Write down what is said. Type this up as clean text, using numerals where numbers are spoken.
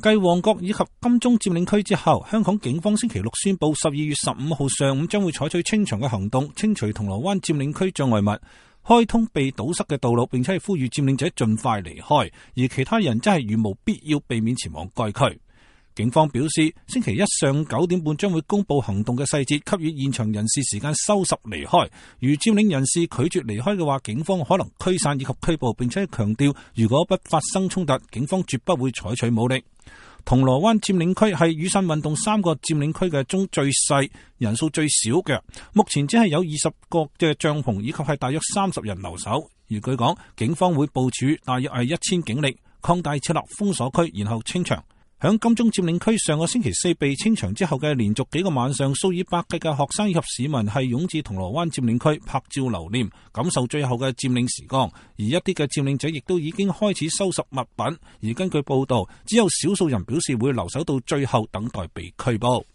繼旺角以及金鐘佔領區之後，香港警方星期六宣布12月15號上午將會採取清場嘅行動，清除銅鑼灣佔領區障礙物，開通被堵塞嘅道路，並且係呼籲佔領者盡快離開，而其他人真係如無必要避免前往該區。警方表示，星期一上午9點半將會公布行動嘅細節，給予現場人士時間收拾離開。如佔領人士拒絕離開嘅話，警方可能驅散以及拘捕，並且強調如果不發生衝突，警方絕不會採取武力。銅鑼灣佔領區係雨傘運動3個佔領區嘅中最細、人數最少嘅，目前只係有20個嘅帳篷以及係大約30人留守。而據講，警方會部署大約係1000警力，擴大設立封鎖區，然後清場。響金鐘佔領區上個星期4被清場之後嘅連續幾個晚上，數以百計嘅學生以及市民係湧至銅鑼灣佔領區拍照留念，感受最後嘅佔領時光。而一啲嘅佔領者亦都已經開始收拾物品。而根據報道，只有少數人表示會留守到最後等待被拘捕。